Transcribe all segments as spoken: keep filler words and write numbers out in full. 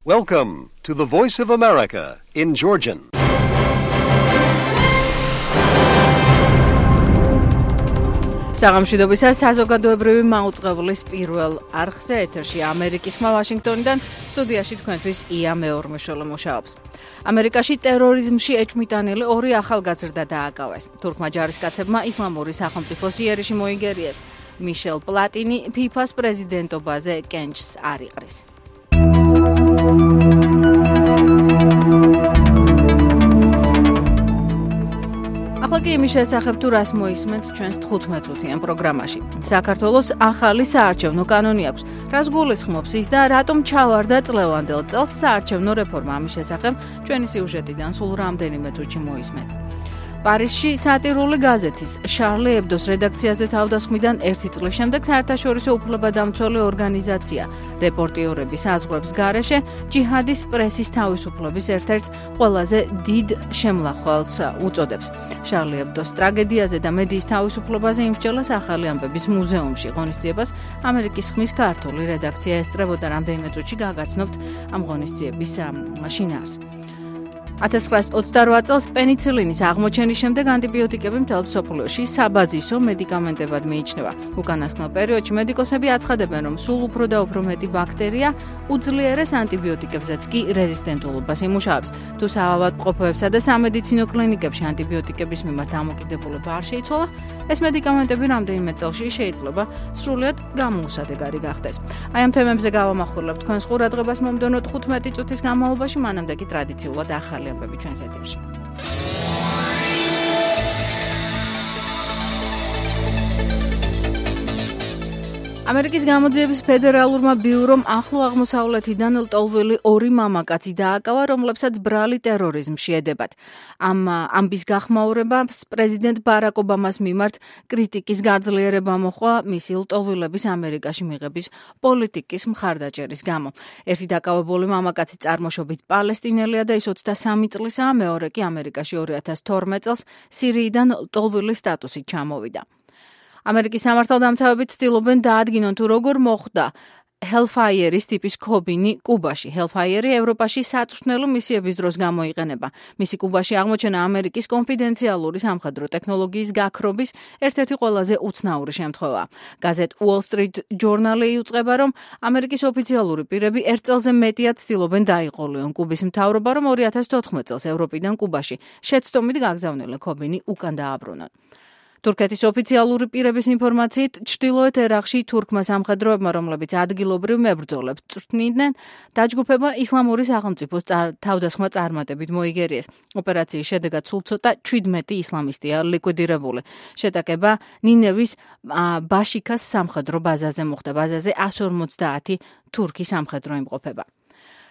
Welcome to the Voice of America in Georgian. საღამშვიდობისა საზოგადოებრივი მაუწყებლის პირველ არხზე ეთერში ამერიკის ხმა ვაშინგტონიდან სტუდიაში თქვენთვის ია მეორმეშოლე მუშაობს. ამერიკაში ტერორიზმში ეჭვმიტანილი ორი ახალგაზრდა დააკავეს. თურქმა ჯარისკაცებმა ისლამური სახელმწიფოს იერიში მოიგერიეს. მიშელ პლატინი ფიფას პრეზიდენტობაზე კენჭს არ იყრის. ახლა კი იმის შესახებ თუ რას მოისმენთ ჩვენს თხუთმეტ-წუთიან პროგრამაში. საქართველოს ახალი საარჩევნო კანონი აქვს. რას გულისხმობს ის და რატომ ჩავარდა წლევანდელ წელს საარჩევნო რეფორმა? ამის შესახებ ჩვენი სიუჟეტიდან სულ რამდენიმე წუთში მოისმენთ. პარიზში სატირული გაზეთის შარლი ებდოს რედაქციაზე თავდასხმიდან ერთი წლის შემდეგ საერთაშორისო უფლებადამცველი ორგანიზაცია რეპორტიორების აზღვრების გარეშე ჯიჰადის პრესის თავისუფლების ერთ-ერთ ყველაზე დიდ შემლახვალს უწოდებს. შარლი ებდოს ტრაგედიაზე და მედიის თავისუფლებაზე იმსჯელას ახალი ამბების მუზეუმში ღონისძიებას ამერიკის ხმის ქართული რედაქცია ესწრებოდა. რამდენიმე წუთში გაგაცნობთ ამ ღონისძიების შინაარსს. ათას ცხრაასი ოცდარვა წელს პენიცილინის აღმოჩენის შემდეგ ანტიბიოტიკები მთელ მსოფლიოში საბაზისო მედიკამენტებად მიიჩნევა. უკანასკნელ პერიოდში მედიკოსები აცხადებენ, რომ სულ უფრო და უფრო მეტი ბაქტერია უძლიერეს ანტიბიოტიკებზეც კი რეზისტენტულობას იმუშავებს. თუ საავადმყოფოებსა და სამედიცინო კლინიკებში ანტიბიოტიკების მიმართ დამოკიდებულება არ შეიცვალა, ეს მედიკამენტები რამდენიმე წელში შეიძლება სრულიად გამოუსადეგარი გახდეს. აი ამ თემებზე გავამახვილებთ თქვენს ყურადღებას მომდევნო თხუთმეტი წუთის განმავლობაში, მანამდე კი ტრადიციულად ახალი ამბები ჩვენს ეთერში. ამერიკის გამოძიების ფედერალურმა ბიურომ ახლო აღმოსავლეთიდან ლტოლვილი ორი მამაკაცი დააკავა, რომლებსაც ბრალი ტერორიზმში ედებათ. ამ ამბის გახმაურებას პრეზიდენტ ბარაკ ობამას მიმართ კრიტიკის გაძლიერება მოჰყვა მისი ლტოლვილების ამერიკაში მიღების პოლიტიკის მხარდაჭერის გამო. ერთი დაკავებული მამაკაცი წარმოშობით პალესტინელია და ის ოცდასამი წლისაა, მეორე კი ამერიკაში ორი ათას თორმეტ წელს სირიიდან ლტოლვილის სტატუსით ჩამოვიდა. ამერიკის სამართალდამცავები ცდილობენ დაადგინონ თუ როგორ მოხდა Hellfire's ტიპის ქობინი კუბაში. Hellfire ევროპაში საწვრთნელო მისიების დროს გამოიყენება. მისი კუბაში აღმოჩენა ამერიკის კონფიდენციალური სამხედრო ტექნოლოგიის გაქრობის ერთ-ერთი ყველაზე უცნაური შემთხვევაა. გაზეთ Wall Street Journal იუწყება, რომ ამერიკის ოფიციალური პირები ერთ წელზე მეტია ცდილობენ დაიყოლიონ კუბის მთავრობა, რომ ორი ათას თოთხმეტ წელს ევროპიდან კუბაში შეცდომით გაგზავნილი ქობინი უკან დააბრუნონ. თურქეთის ოფიციალური პირების ინფორმაციით, ჩრდილოეთ ერაყში თურქმა სამხედროებმა, რომლებიც ადგილობრივ მებრძოლებს წვრთნიდნენ, დაჯგუფება ისლამური სახელმწიფოს თავდასხმა წარმატებით მოიგერიეს. ოპერაციის შედეგად სულ ცოტა ჩვიდმეტი ისლამისტია ლიკვიდირებული. შეტაკება ნინევის ბაშიქას სამხედრო ბაზაზე მოხდა. ბაზაზე ასი ორმოცდაათი თურქი სამხედრო იმყოფება.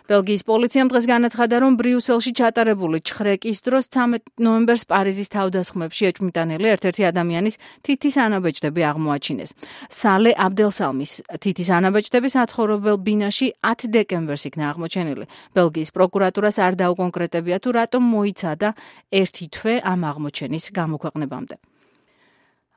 ბელგიის პოლიციამ დღეს განაცხადა, რომ ბრიუსელში ჩატარებული ჩხრეკის დროს ცამეტ ნოემბერს პარიზის თავდასხმებში ეჭვმიტანილი ერთ-ერთი ადამიანის თითის ანაბეჭდები აღმოაჩინეს. სალე აბდელსალმის თითის ანაბეჭდები საცხოვრებელ ბინაში ათი დეკემბერს იქნა აღმოჩენილი. ბელგიის პროკურატურას არ დაუკონკრეტებია, თუ რატომ მოიცადა ერთი თვე ამ აღმოჩენის გამოქვეყნებამდე.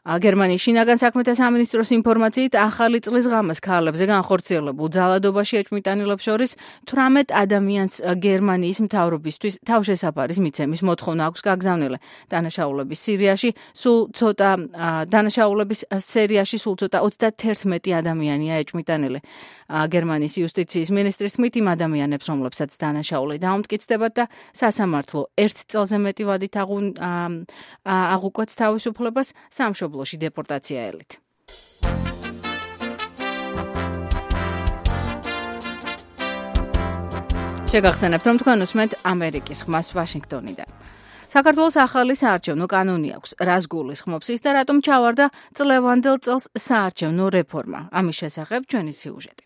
გერმანიის შინაგან საქმეთა სამინისტროს ინფორმაციით, ახალი წლის ღამეს ქალებზე განხორციელებულ ძალადობაში ეჭვმიტანილებს შორის თვრამეტ ადამიანს გერმანიის მთავრობისთვის თავშესაფარის მიცემის მოთხოვნა აქვს გაგზავნილი. დანაშაულების სირიაში სულ ცოტა დანაშაულების სერიაში სულ ცოტა ოცდაათი ადამიანია ეჭვმიტანილი. გერმანიის იუსტიციის მინისტრის თქმით, იმ ადამიანებს, რომლებსაც დანაშაული დაუმტკიცდებათ და სასამართლო ერთ წელზე მეტი ვადით აღუკვეთს თავისუფლებას, სამშობლოში დეპორტაცია ელით. შეგახსენებთ, რომ თქვენ უსმენთ ამერიკის ხმას ვაშინგტონიდან. საქართველოს ახალი საარჩევნო კანონი აქვს. რას გულისხმობს ის და რატომ ჩავარდა წლევანდელ წელს საარჩევნო რეფორმა? ამის შესახებ ჩვენი სიუჟეტი.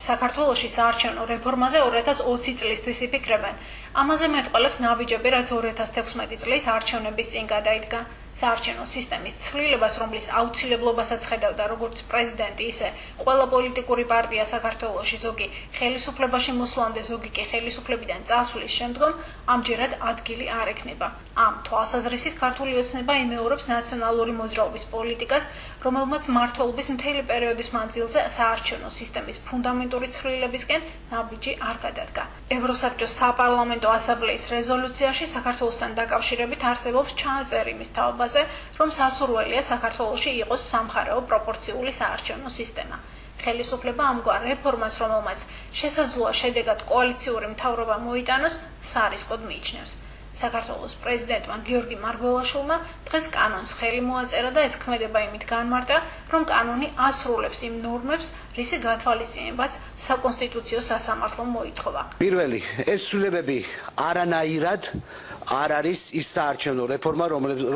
საქართველოში საარჩევნო რეფორმაზე ორი ათას ოცი წლისთვის იფიქრებენ. ამაზე მეტყველებს ნაბიჯები, რაც ორი ათას თექვსმეტი წლის არჩევნების წინ გადაიდგა. საარჩევნო სისტემის ცვლილებას, რომლის აუცილებლობასაც ხედავდა როგორც პრეზიდენტი, ისე ყველა პოლიტიკური პარტია საქართველოში, ზოგი ხელისუფლებაში მოსვლამდე, ზოგი კი ხელისუფლებიდან წასვლის შემდგომ, ამჯერად ადგილი არ ექნება. ამ თვალსაზრისით ქართული ოცნება იმეორებს ნაციონალური მოძრაობის პოლიტიკას, რომელმაც მმართველობის მთელი პერიოდის მანძილზე საარჩევნო სისტემის ფუნდამენტური ცვლილებისკენ ნაბიჯი არ გადადგა. ევროსაბჭოს საპარლამენტო ასამბლეის რეზოლუციაში საქართველოსთან დაკავშირებით არსებობს ჩანაწერი იმის თაობაზე, რომ სასურველია საქართველოში იყოს სამხარეო პროპორციული საარჩევნო სისტემა. ხელისუფლება ამგვარ რეფორმას, რომელმაც შესაძლოა შედეგად კოალიციური მთავრობა მოიტანოს, სარისკოდ მიიჩნევს. საქართველოს პრეზიდენტმა გიორგი მარგველაშვილმა დღეს კანონს ხელი მოაწერა და ეს ქმედება იმით განმარტა, რომ კანონი ასრულებს იმ ნორმებს, რისი გათვალისწინებაც საკონსტიტუციო სასამართლომ მოითხოვა. პირველი, ეს ცვლილებები არანაირად არ არის ის საარჩევნო რეფორმა,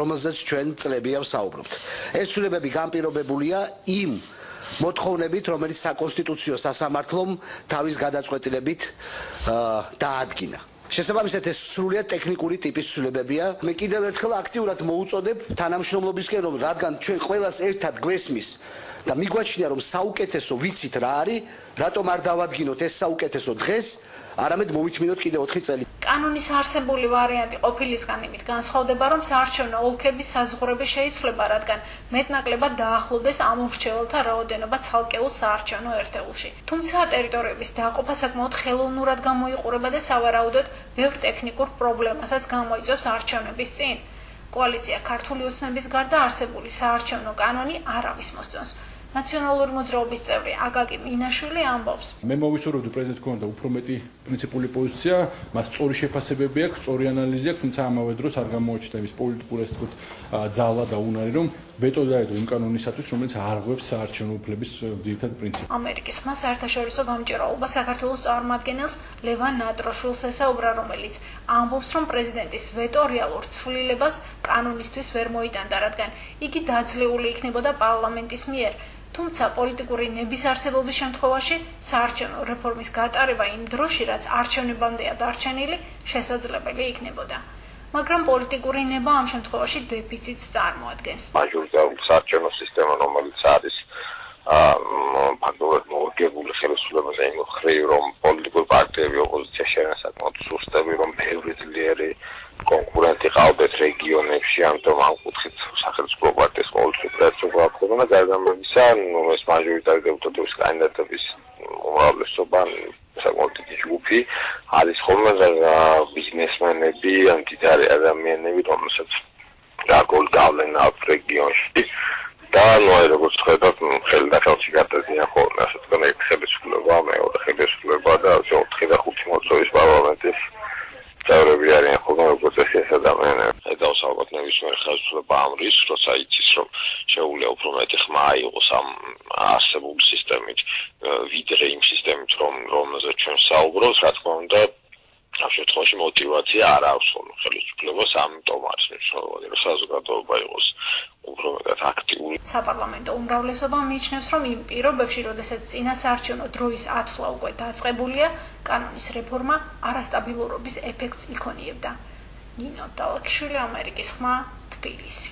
რომელზეც ჩვენ წლებია ვსაუბრობთ. ეს ცვლილებები განპირობებულია იმ მოთხოვნებით, რომელიც საკონსტიტუციო სასამართლომ თავის გადაწყვეტილებით დაადგინა. შესაბამისად ეს სრულიად ტექნიკური ტიპის ცვლილებებია. მე კიდევ ერთხელ აქტიურად მოუწოდებ თანამშრომლობისკენ, რომ რადგან ჩვენ ყველას ერთად გვესმის და მიგვაჩნია, რომ საუკეთესო ვიცით რა არის, რატომ არ დავადგინოთ ეს საუკეთესო დღეს, არამედ მოვითმინოთ კიდევ ოთხი წელი. კანონის არსებული ვარიანტი ყოფილისგან იმით განსხვავდება, რომ საარჩევნო ოლქების საზღვრები შეიცვლება, რადგან მეტნაკლებად დაახლოვდეს ამ მრჩეველთა რაოდენობა ცალკეულ საარჩევნო ერთეულში. თუმცა ტერიტორიების დაყოფა საკმაოდ ხელოვნურად გამოიყურება და სავარაუდოდ ბევრ ტექნიკურ პრობლემასაც გამოიწვევს არჩევნების წინ. კოალიცია ქართული ოცნების გარდა არსებული საარჩევნო კანონი არავის მოსწონს. ნაციონალური მოძრაობის წევრი აკაკი მინაშვილი ამბობს. მე მოვისურვებდი პრეზიდენტს ქონდა უფრო მეტი პრინციპული პოზიცია, მას სწორი შეფასებები აქვს, სწორი ანალიზი აქვს, თუმცა ამავე დროს არ გამოაჩნდა იმის პოლიტიკური ასე ვთქვათ ძალა და უნარი, რომ ვეტო დაედო იმ კანონისათვის, რომელიც არღვევს საარჩევნო უფლების ძირითად პრინციპს. ამერიკის ხმა საერთაშორისო გამჭირვალობა საქართველოს წარმომადგენელს ლევან ნატროშვილს ესაუბრა, რომელიც ამბობს, რომ პრეზიდენტის ვეტო რეალურ ცვლილებას კანონისთვის ვერ მოიტანდა, რადგან იგი დაძლეული იქნებოდა პარლამენტის მიერ. თუმცა პოლიტიკური ნების არსებობის შემთხვევაში საარჩევნო რეფორმის გატარება იმ დროში, რაც არჩევნებამდეა დარჩენილი, შესაძლებელი იქნებოდა. მაგრამ პოლიტიკური ნება ამ შემთხვევაში დეფიციტს წარმოადგენს. მაჟორიტარული საარჩევნო სისტემა, რომელიც არის ფაქტობრივად მორგებული ხელისუფლებაზე იმ მხრივ, რომ პოლიტიკური პარტიები ოპოზიციაში არიან საკმაოდ სუსტები, რომ ბევრი ძლიერი კონკურენტი ყავდეთ რეგიონებში, ამიტომ ამ კუთხით სახელმწიფო პარტიის ყოველთვის პრინციპი აქვს და გარდამავისა, ეს მაჟორიტარი დეპუტატების კანდიდატების უმრავლესობა საკმაოდ დიდი ჯგუფი არის ხოლმე ბიზნესმენები, ან დიდარი ადამიანები, რომელსაც გარკვეული გავლენა აქვს რეგიონში და ნუ როგორც ხედავთ, ხელი და ხელში გადადიან ხოლმე, ასე თქვენ ერთ ხელისუფლება, მეორე ხელისუფლება და ოთხი და ხუთი მოწვევის პარლამენტის წევრები არიან ხოლმე, როგორც ეს ადამიანები. დავსაუბროთ ნებისმიერ ხელისუფლება ამ რისკს, როცა იცის, რომ შეუძლია უფრო მეტი ხმა იყოს ამ არსებული სისტემით, ვიდრე იმ სისტემით, რომ რომელზეც ჩვენ საუბრობთ, რა თქმა უნდა, ამ შემთხვევაში мотиваცია არ აქვს ხოლმე ხელისუფლებას, ამიტომ არის მნიშვნელოვანი, რომ საზოგადოება იყოს უფრო მეტად აქტიური. საპარლამენტო უმრავლესობა მიიჩნევს, რომ იმ პირობებში, როდესაც წინა საარჩევნო დროის ათვლა უკვე დაწყებულია, კანონის რეფორმა არასტაბილურობის ეფექტს იქონიებდა. ნინო დალაკვიშვილი, ამერიკის ხმა, თბილისი.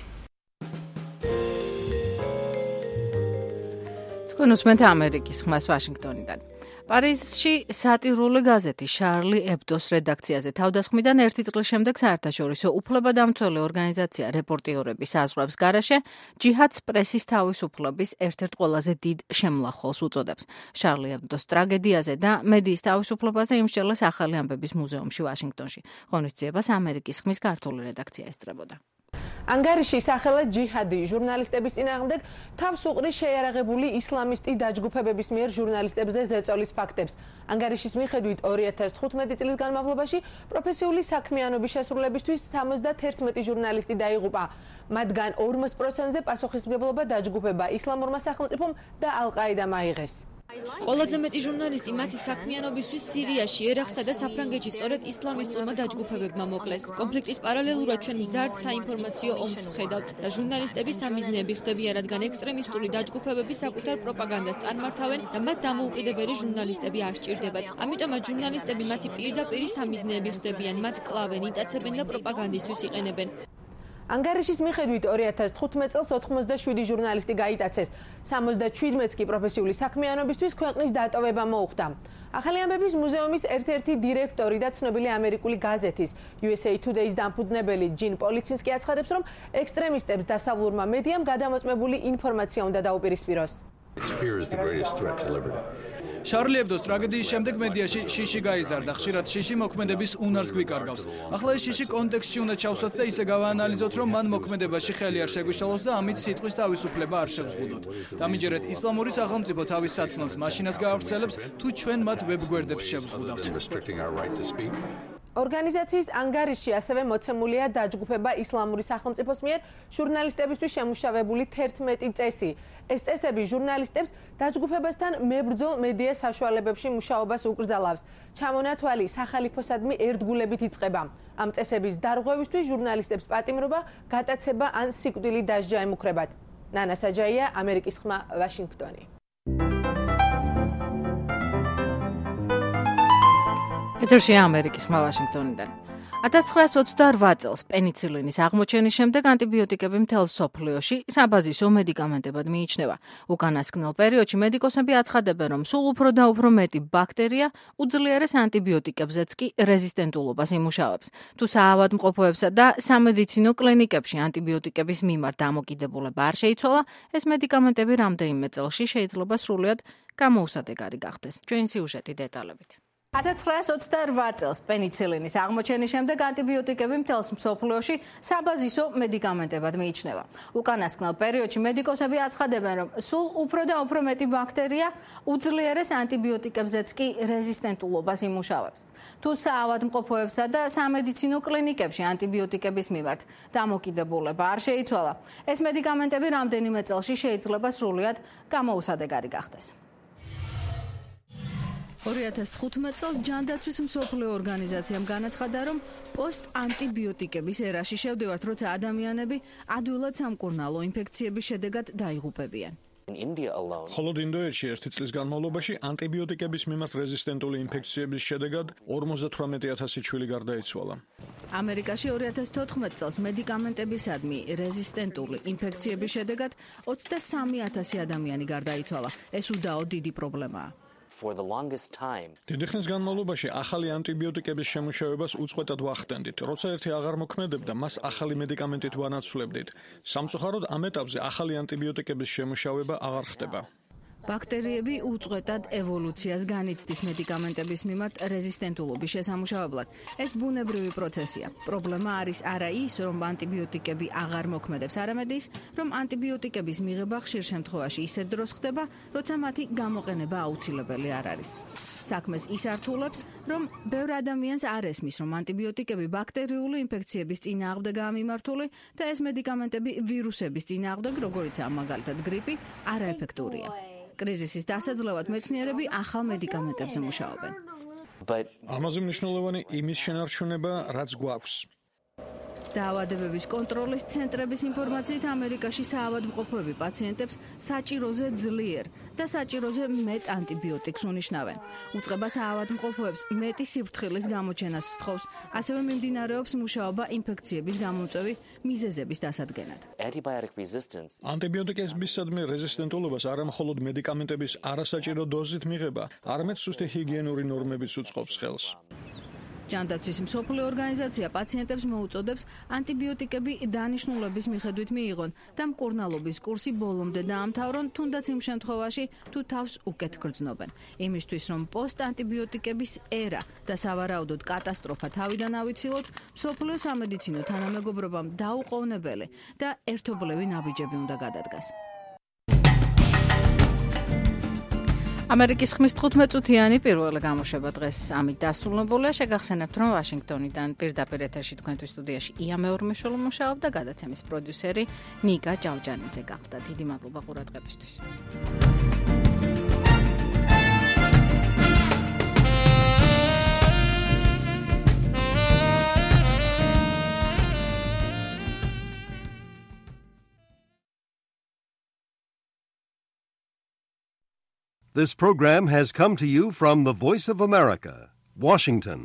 თქვენ უსმენთ ამერიკის ხმას ვაშინგტონიდან. პარიზში სატირული გაზეთი შარლი ებდოს რედაქციაზე თავდასხმიდან ერთი წლის შემდეგ საერთაშორისო უფლებადამცველი ორგანიზაცია რეპორტიორების აზრებს გარეშე ჯიჰადს პრესის თავისუფლების ერთ-ერთ ყველაზე დიდ შემლახველს უწოდებს. შარლი ებდოს ტრაგედიაზე და მედიის თავისუფლებაზე იმსჯელეს ახალი ამბების მუზეუმში ვაშინგტონში. ღონისძიებას ამერიკის ხმის ქართული რედაქცია ესწრებოდა. ანგარიში სახელად ჯიჰადი ჟურნალისტების წინააღმდეგ თავს უყრის შეიარაღებული ისლამისტი დაჯგუფებების მიერ ჟურნალისტებზე ზეწოლის ფაქტებს. ანგარიშის მიხედვით ორი ათას თხუთმეტი წლის განმავლობაში პროფესიული საქმიანობის შესრულებისთვის სამოცდაერთი ჟურნალისტი დაიღუპა. მათგან ორმოც პროცენტზე პასუხისმგებლობა დაჯგუფება ისლამურმა სახელმწიფომ და ალ-ყაიდამ აიღეს. ყველაზე მეტი ჟურნალისტი მათი საქმიანობისთვის სირიაში, ერაყსა და საფრანგეთში სწორედ ისლამისტურმა დაჯგუფებებმა მოკლეს. კონფლიქტის პარალელურად ჩვენ მზარდ საინფორმაციო ომს ვხედავთ და ჟურნალისტები სამიზნეები ხდებიან, რადგან ექსტრემისტული დაჯგუფებები საკუთარ პროპაგანდას წარმართავენ და მათ დამოუკიდებელი ჟურნალისტები არ სჭირდებათ. ამიტომაც ჟურნალისტები მათი პირდაპირი სამიზნეები ხდებიან, მათ კლავენ, იტაცებენ და პროპაგანდისთვის იყენებენ. ანგარიშის მიხედვით ორი ათას თხუთმეტ წელს ოთხმოცდაშვიდი ჟურნალისტი გაიტაცეს, სამოცდაჩვიდმეტს კი პროფესიული საქმიანობისთვის ქვეყნის დატოვება მოუხდა. ახალი ამბების მუზეუმის ერთ-ერთი დირექტორი და ცნობილი ამერიკული გაზეთის იუ ეს ეი Today-ის დამფუძნებელი ჯინ პოლიცინსკი აცხადებს, რომ ექსტრემისტებს დასავლურმა მედიამ გადამოწმებული ინფორმაცია უნდა დაუპირისპიროს. შარლი ებდოს ტრაგედიის შემდეგ მედიაში შიში გაიზარდა. ხშირად შიში მოქმედების უნარს გვიკარგავს. ახლა ეს შიში კონტექსტში უნდა ჩავსვათ და ისე გავაანალიზოთ, რომ მან მოქმედებაში ხელი არ შეგვიშალოს და ამით სიტყვის თავისუფლება არ შევზღუდოთ. დამიჯერეთ ისლამური სახელმწიფო თავის სათქმელს მაშინაც გაავრცელებს, თუ ჩვენ მათ ვებგვერდებს შევზღუდავთ. ორგანიზაციის ანგარიში ასევე მოცემულია დაჯგუფება ისლამური სახელმწიფოს მიერ ჟურნალისტებისთვის შემუშავებული თერთმეტი წესი. ეს წესები ჟურნალისტებს დაჯგუფებასთან მებრძოლ მედია საშუალებებში მუშაობას უკრძალავს. ჩამონათვალი სახალიფოსადმი ერთგულებით იწყება. ამ წესების დარღვევისთვის ჟურნალისტებს პატიმრობა, გატაცება ან სიკვდილი დასჯა ემუქრებათ. ნანა საჯაია, ამერიკის ხმა, ვაშინგტონი. ეთერშია ამერიკის ხმა ვაშინგტონიდან. ათას ცხრაასი ოცდაორ წელს პენიცილინის აღმოჩენის შემდეგ ანტიბიოტიკები მთელ მსოფლიოში საბაზისო მედიკამენტებად მიიჩნევა. უკანასკნელ პერიოდში მედიკოსები აცხადებენ, რომ სულ უფრო და უფრო მეტი ბაქტერია უძლიერეს ანტიბიოტიკებზეც კი რეზისტენტულობას იმუშავებს. თუ საავადმყოფოებსა და სამედიცინო კლინიკებში ანტიბიოტიკების მიმართ დამოკიდებულება არ შეიცვალა, ეს მედიკამენტები რამდენიმე წელში შეიძლება სრულიად გამოუსადეგარი გახდეს. ჩვენი სიუჟეტი დეტალებით. ათას ცხრაასი ოცდაორ წელს პენიცილინის აღმოჩენის შემდეგ ანტიბიოტიკები მთელს მსოფლიოში საბაზისო მედიკამენტებად მიიჩნევა. უკანასკნელ პერიოდში მედიკოსები აცხადებენ, რომ სულ უფრო და უფრო მეტი ბაქტერია უძლიერეს ანტიბიოტიკებზეც კი რეზისტენტულობას იმუშავებს. თუ საავადმყოფოებსა და სამედიცინო კლინიკებში ანტიბიოტიკების მიმართ დამოკიდებულება არ შეიცვალა, ეს მედიკამენტები რამდენიმე წელში შეიძლება სრულიად გამოუსადეგარი გახდეს. ორი ათას თხუთმეტ წელს ჯანდაცვის მსოფლიო ორგანიზაციამ განაცხადა, რომ პოსტ-ანტიბიოტიკების ერაში შევდივართ, როცა ადამიანები ადვილად სამკურნალო ინფექციების შედეგად დაიღუპებიან. მხოლოდ ინდოეთში ერთი წლის განმავლობაში ანტიბიოტიკების მიმართ რეზისტენტული ინფექციების შედეგად ორმოცდათვრამეტი ათასი ჩვილი გარდაიცვალა. ამერიკაში ორი ათას თოთხმეტ წელს მედიკამენტებისადმი რეზისტენტული ინფექციების შედეგად ოცდასამი ათასი ადამიანი გარდაიცვალა. ეს უდაო დიდი პრობლემაა. დიდი ხნის განმავლობაში ახალი ანტიბიოტიკების შემუშავებას უწყვეტად ვახდენდით. როცა ერთი აღარ მოქმედებდა, მას ახალი მედიკამენტით ვანაცვლებდით. სამწუხაროდ ამ ეტაპზე ახალი ანტიბიოტიკების შემუშავება აღარ ხდება. ბაქტერიები უწყვეტად ევოლუციას განიცდის მედიკამენტების მიმართ რეზისტენტულობის შესამუშავებლად. ეს ბუნებრივი პროცესია. პრობლემა არის არა ის, რომ ანტიბიოტიკები აღარ მოქმედებს, არამედ ის, რომ ანტიბიოტიკების მიღება ხშირ შემთხვევაში ისე დროს ხდება, როცა მათი გამოყენება აუცილებელი არ არის. საქმეს ის ართულებს, რომ ბევრ ადამიანს არ ესმის, რომ ანტიბიოტიკები ბაქტერიული ინფექციების წინააღმდეგაა მიმართული და ეს მედიკამენტები ვირუსების წინააღმდეგ, როგორიცაა მაგალითად გრიპი, არაეფექტურია. კრიზისის დასაძლევად მეცნიერები ახალ მედიკამენტებზე მუშაობენ. ამაზე მნიშვნელოვანი იმის შენარჩუნება, რაც გვაქვს. დაავადებების კონტროლის ცენტრების ინფორმაციით ამერიკაში საავადმყოფოები პაციენტებს საჭიროზე ძლიერ და საჭიროზე მეტ ანტიბიოტიკს უნიშნავენ. უწყება საავადმყოფოებს მეტი სიფრთხილის გამოჩენას სთხოვს, ასევე მიმდინარეობს მუშაობა ინფექციების გამომწვევი მიზეზების დასადგენად. ანტიბიოტიკებისადმი რეზისტენტულობას არა მხოლოდ მედიკამენტების არასაჭირო დოზით მიღება, არამედ სუსტი ჰიგიენური ნორმებიც უწყობს ხელს. ჯანდაცვის მსოფლიო ორგანიზაცია პაციენტებს მოუწოდებს ანტიბიოტიკები დანიშნულების მიხედვით მიიღონ და მკურნალობის კურსი ბოლომდე დაამთავრონ, თუნდაც იმ შემთხვევაში, თუ თავს უკეთ გრძნობენ. იმისთვის, რომ პოსტ-ანტიბიოტიკების ერა და სავარაუდოდ კატასტროფა თავიდან ავიცილოთ, მსოფლიო სამედიცინო თანამეგობრობამ დაუყოვნებელი და ერთობლივი ნაბიჯები უნდა გადადგას. ამერიკის ხმის თხუთმეტ წუთიანი პირველი გამოშვება დღეს ამით დასრულებულია. შეგახსენებთ, რომ ვაშინგტონიდან პირდაპირ ეთერში თქვენთვის სტუდიაში ია მეორმეშვილი მუშაობდა, გადაცემის პროდიუსერი ნიკა ჭავჭანიძე გახდა. დიდი მადლობა ყურადღებისთვის. This program has come to you from the Voice of America, Washington.